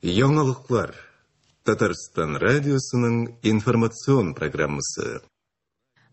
Яңалыклар. Татарстан радиосының информацион программасы.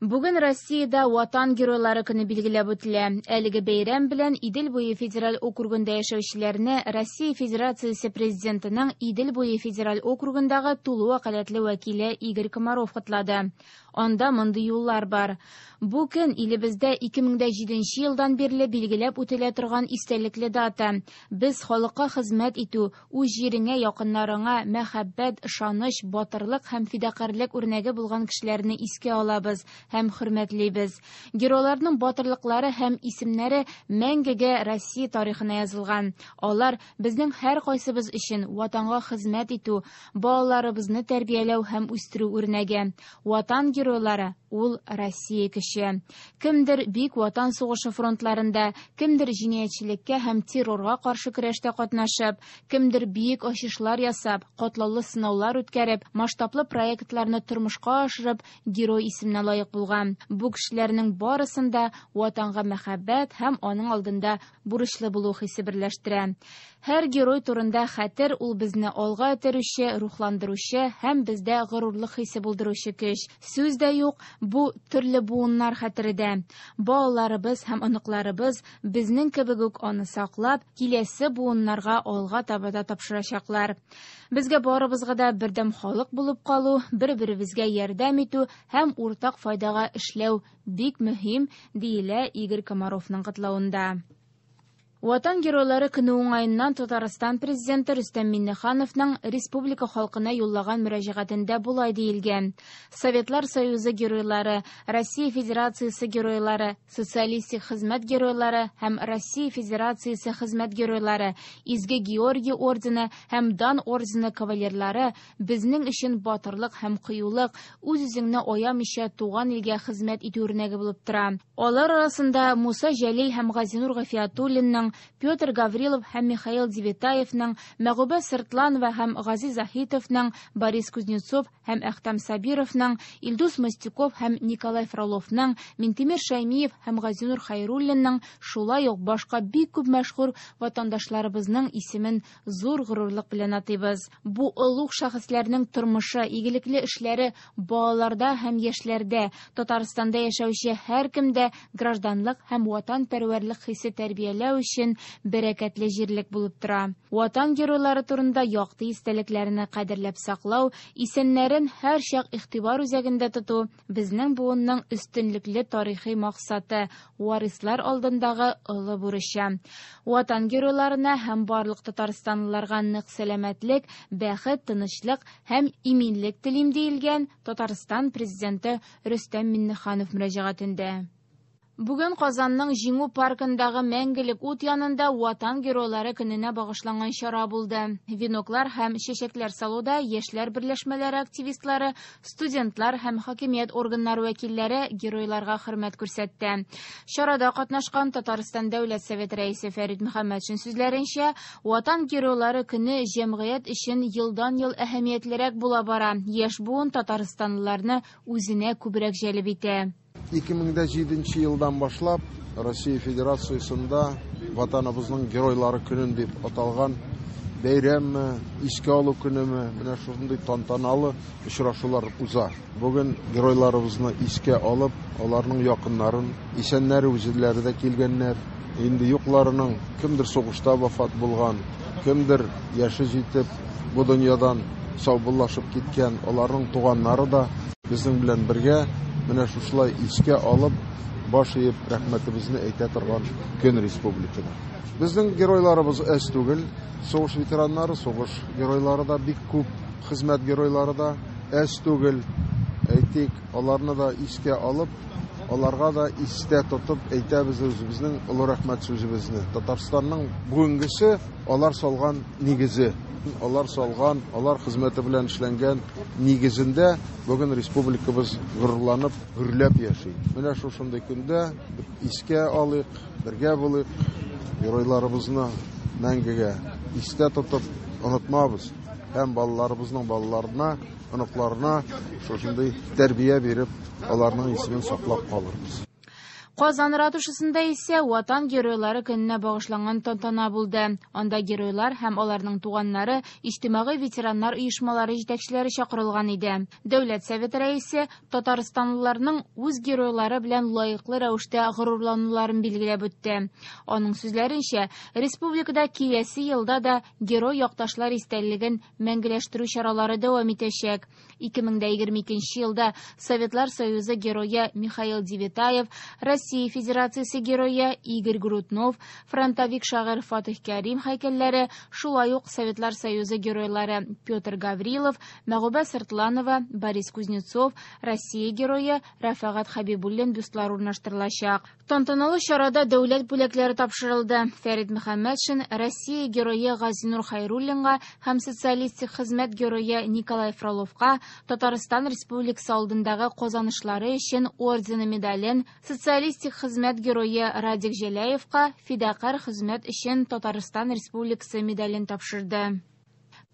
Бүген Россиядә Ватан геройлары көне билгеләп үтелә. Әлеге бәйрәм белән Идел буе федераль округында яшәүчеләрне Россия Федерациясе Президентының Идел буе федераль округындагы тулы вәкаләтле вәкиле Игорь Комаров котлады. Анда мондый юллар бар. Бу көн илебездә 2007 елдан бирле билгеләп үтелә торган истәлекле дата. Без халыкка хезмәт итү, үз җиреңә, якыннарыңа мәхәббәт, ышаныч, батырлык һәм фидакарьлек үрнәге булган кешеләрне искә алабыз һәм хөрмәтлибез. Геройларның батырлыклары һәм исемнәре мәңгегә Россия тарихына язылган. Алар безнең һәркайсыбыз өчен ватанга хезмәт итү, балаларыбызны тәрбияләү һәм үстерү үрнәге. Ватан геройлары ул Россия көче. Кемдер Бөек Ватан сугышы фронтларында, кемдер җинаятьчелеккә һәм террорга каршы көрәштә катнашып, кемдер бөек ачышлар ясап, катлаулы сынаулар үткәреп, масштаблы проектларны тормышка ашырып, герой исеменә лаек булган. Бу кешеләрнең барысын да ватанга мәхәббәт һәм аның алдында бурычлы булу хисе берләштерә. Һәр герой турында хәтер ул безне алга этәрүче, рухландыручы һәм бездә горурлык хисе булдыручы көч. Сүз дә юк, бу төрле буыннар хәтере дә. Балаларыбыз һәм оныкларыбыз безнең кебек үк аны саклап, киләсе буыннарга алга таба да тапшырачаклар. Безгә барыбызга да бердәм халык булып калу, бер-беребезгә ярдәм итү һәм уртак файдага эшләү бик мөһим, диелә Игорь Комаровның котлавында. Ватан геройлары көне уңаеннан Татарстан президенты Рөстәм Миңнехановның республика халкына юллаган мөрәҗәгатендә болай диелгән: Советлар Союзы геройлары, Россия Федерациясе геройлары, социалистик хезмәт геройлары һәм Россия Федерациясе хезмәт геройлары, Изге Георгий ордены һәм Дан ордены кавалерлары безнең өчен батырлык һәм кыюлык, үз-үзеңне аямыйча туган илгә хезмәт итү үрнәге булып тора. Алар арасында Муса Җәлил һәм Газинур Гафиятуллинның, Петр Гаврилов һәм Михаил Девятаевның, Мәгүбә Сыртланова һәм Гази Заһитовның, Борис Кузнецов һәм Әхтәм Сабировның, Илдус Мостяков һәм Николай Фроловның, Минтимер Шәймиев һәм Газинур Хәйруллинның, шулай ук башка бик күп мәшһүр ватандашларыбызның исемен зур горурлык белән атыйбыз. Бу олуг шәхесләрнең тормышы, игелекле эшләре балаларда һәм яшьләрдә, Татарстанда яшәүче һәркемдә гражданлык һәм ватанпәрвәрлек хисе тәрбияләү өчен бәрәкәтле җирлек булып тора. Ватан геройлары турында якты истәлекләрне кадерләп саклау, исемнәрен һәрчак игътибар үзәгендә тоту безнең буынның өстенлекле тарихи максаты, варислар алдындагы олы бурычы. Ватан геройларына һәм барлык татарстанлыларга нык сәламәтлек, бәхет, тынычлык һәм иминлек телим, диелгән Татарстан президенты Рөстәм Миңнеханов мөрәҗәгатендә. Бүген Казанның Җиңү паркындагы мәңгелек ут янында Ватан геройлары көненә багышланган чара булды. Веноклар һәм чәчәкләр салуда яшьләр берләшмәләре активистлары, студентлар һәм хакимият органнары вәкилләре геройларга хөрмәт күрсәтте. Чарада катнашкан Татарстан Дәүләт Советы рәисе Фәрит Мөхәммәтшин сүзләренчә, Ватан геройлары көне җәмгыять өчен елдан-ел әһәмиятлерәк була бара. Яшь буын татарстанлыларны үзенә күбрәк җәлеп итә. 2007 елдан башлап Россия Федерациясендә Ватаныбызның геройлары көнен дип аталган бәйрәмме, искә алу көнеме, менә шундый тантаналы очрашулар уза. Бүген геройларыбызны искә алып, аларның якыннарын, исәннәре үзләре дә килгәннәр. Инде юкларының кемдер сугышта вафат булган, кемдер яше җитеп бу дөньядан саубуллашып киткән, аларның туганнары да безнең белән бергә менә шушылай искә алып, баш иеп рәхмәтебезне әйтә торган көн республикада. Безнең геройларыбыз әз түгел, сугыш ветераннары, сугыш геройлары да бик күп, хезмәт геройлары да әз түгел. Әйтик, аларны да искә алып, аларга да истә тотып әйтәбез үзебезнең олы рәхмәт сүзебезне. Татарстанның бүгенгесе алар салган нигезе, алар салган, алар хезмәте белән эшләнгән нигезендә бүген республикабыз горурланып, гөрләп яши. Менә шушындый көндә искә алыйк, бергә булыйк, геройларыбызны мәңгегә истә тотып онытмабыз һәм балаларыбызның балаларына, оныкларына шушындый тәрбия биреп, аларның исемен саклап калырбыз. Казан ратушасында исә Ватан геройлары көненә багышланган тантана булды. Анда геройлар һәм аларның туганнары, иҗтимагый ветераннар оешмалары җитәкчеләре чакырылган иде. Дәүләт Советы рәисе татарстанлыларның үз геройлары белән лаеклы рәвештә горурлануларын билгеләп үтте. Аның сүзләренчә, республикада киләсе елда да герой якташлар истәлеген мәңгеләштерү чаралары дәвам итәчәк. 2022 елда Советлар Союзы герое Михаил Девятаев, Россия Федерациясе герое Игорь Груднов, фронтовик шагыйрь Фатих Кәрим һәйкәлләре, шулай ук Советлар Союзы геройлары Петр Гаврилов, Мәгубә Сыртланова, Борис Кузнецов, Россия герое Рәфәгать Хәбибуллин бюстлары урнаштырылачак. Тантаналы чарада дәүләт бүләкләре тапшырылды. Фәрит Мөхәммәтшин Россия герое Газинур Хайруллинга һәм социалистик хезмәт герое Николай Фроловка Татарстан Республикасы алдындагы казанышлары өчен ордены медален, социалистик хезмәт герое Радик Җәләевка фидакарь хезмәт өчен Татарстан Республикасы медален тапшырды.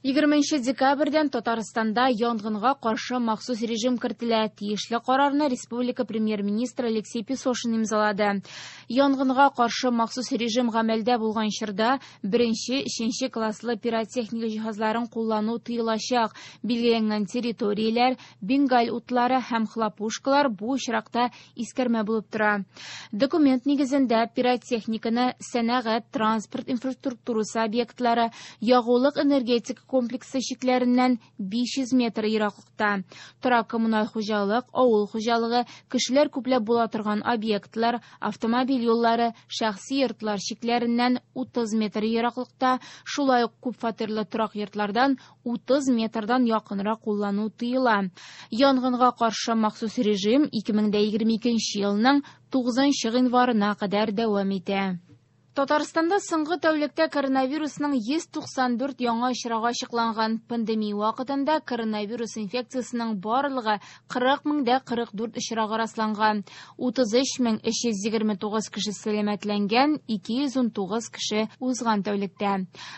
20 декабрьдән Татарстанда янгынга каршы махсус режим кертелә. Тиешле карарны республика премьер-министры Алексей Песошин имзалады. Янгынга каршы махсус режим гамәлдә булган чорда беренче, өченче класслы пиротехника җиһазларын куллану тыелачак. Билгеләнгән территорияләр, бенгаль утлары һәм хлопушкалар бу очракта искәрмә булып тора. Документ нигезендә пиротехниканы сәнәгать, транспорт инфраструктурасы объектлары, ягулык энергетика комплексы чикләреннән 500 метр ераклыкта, торак коммуналь хуҗалык, авыл хуҗалыгы, кешеләр күпләп була торган объектлар, автомобиль юллары, шәхси йортлар чикләреннән 30 метр ераклыкта, шулай ук күпфатирлы торак йортлардан 30 метрдан якынрак куллану тыела. Янгынга каршы махсус режим 2022 елның 9 гыйнварына кадәр дәвам итә. Татарстанда соңгы тәүлектә коронавирусның 194 яңа очрагы ачыкланган. Пандемия вакытында коронавирус инфекциясенең барлыгы 40 044 очрагы расланган. 33 329 кеше сәламәтләнгән, 219 кеше узган тәүлектә.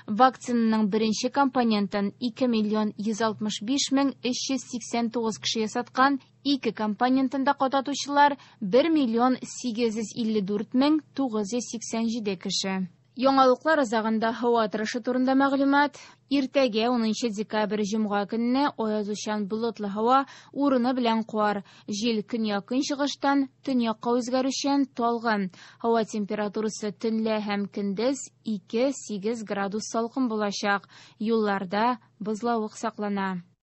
Вакцинаның беренче компонентын 2 миллион 165 мең 389 кеше ясаткан, ике компонентын да кадатучылар 1 миллион 854 мең 987 кеше. Яңалыклар азагында һава торышы турында мәгълүмат. Иртәгә 10 декабрь җомга көнне аязучан болытлы һава, урыны белән кар. Җил көньяк-көнчыгыштан төньякка үзгәрүчән, талгын. Һава температурасы төнлә һәм көндез 2-8 градус салкын булачак. Юлларда бозлавык саклана.